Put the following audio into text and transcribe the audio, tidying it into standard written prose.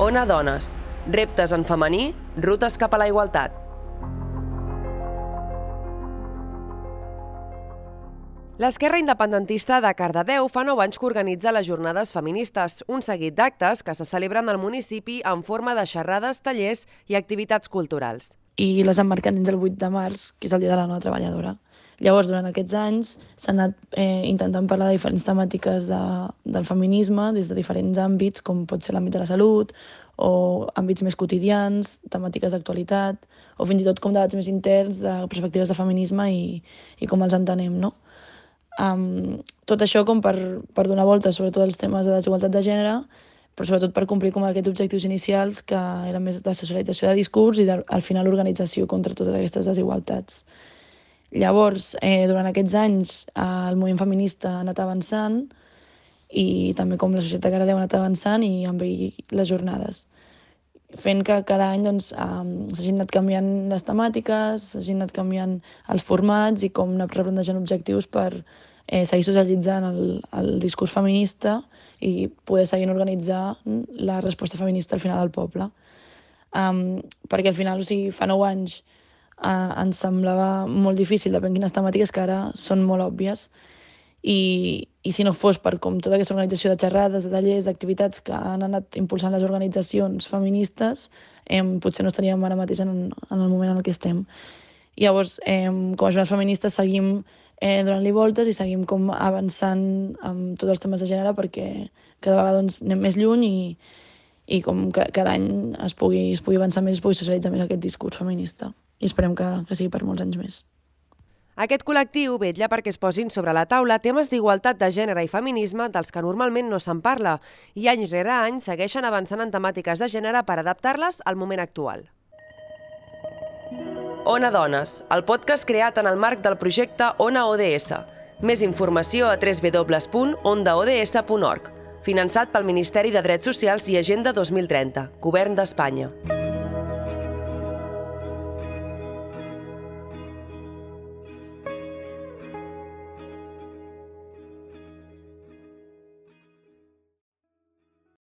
Ona Dones. Reptes en femení, rutes cap a la igualtat. L'Esquerra Independentista de Cardedeu fa 9 anys que organitza les Jornades Feministes, un seguit d'actes que se celebren al municipi en forma de xerrades, tallers i activitats culturals. I les emmarquen dins el 8 de març, que és el Dia de la Dona Treballadora. Llavors, durant aquests anys, s'ha anat intentant parlar de diferents temàtiques del feminisme des de diferents àmbits, com pot ser l'àmbit de la salut, o àmbits més quotidians, temàtiques d'actualitat, o fins i tot com debats més interns de perspectives de feminisme i com els entenem, no? Tot això com per donar voltes sobretot als temes de desigualtat de gènere, però sobretot per complir com aquests objectius inicials que eren més de socialització de discurs i al final organització contra totes aquestes desigualtats. Llavors, durant aquests anys, el moviment feminista ha anat avançant i també com la societat de Cardedeu ha anat avançant i amb ell les jornades, fent que cada any s'hagin anat canviant les temàtiques, s'hagin anat canviant els formats i com anar replantejant objectius per seguir socialitzant el discurs feminista i poder seguir organitzar la resposta feminista al final al poble. Perquè al final, fa 9 anys ens semblava molt difícil, depèn quines temàtiques, que ara són molt òbvies. I si no fos per com tota aquesta organització de xerrades, de tallers, d'activitats que han anat impulsant les organitzacions feministes, potser no estaríem ara mateix en el moment en el que estem. Llavors, com a jornades feministes seguim donant-li voltes i seguim com avançant amb tots els temes de gènere perquè cada vegada anem més lluny i com cada any es pugui avançar més, es pugui socialitzar més aquest discurs feminista. I esperem que sigui per molts anys més. Aquest col·lectiu vetlla perquè es posin sobre la taula temes d'igualtat de gènere i feminisme dels que normalment no se'n parla i any rere any segueixen avançant en temàtiques de gènere per adaptar-les al moment actual. Ona Dones, el podcast creat en el marc del projecte Ona ODS. Més informació a www.ondaods.org, finançat pel Ministeri de Drets Socials i Agenda 2030, Govern d'Espanya.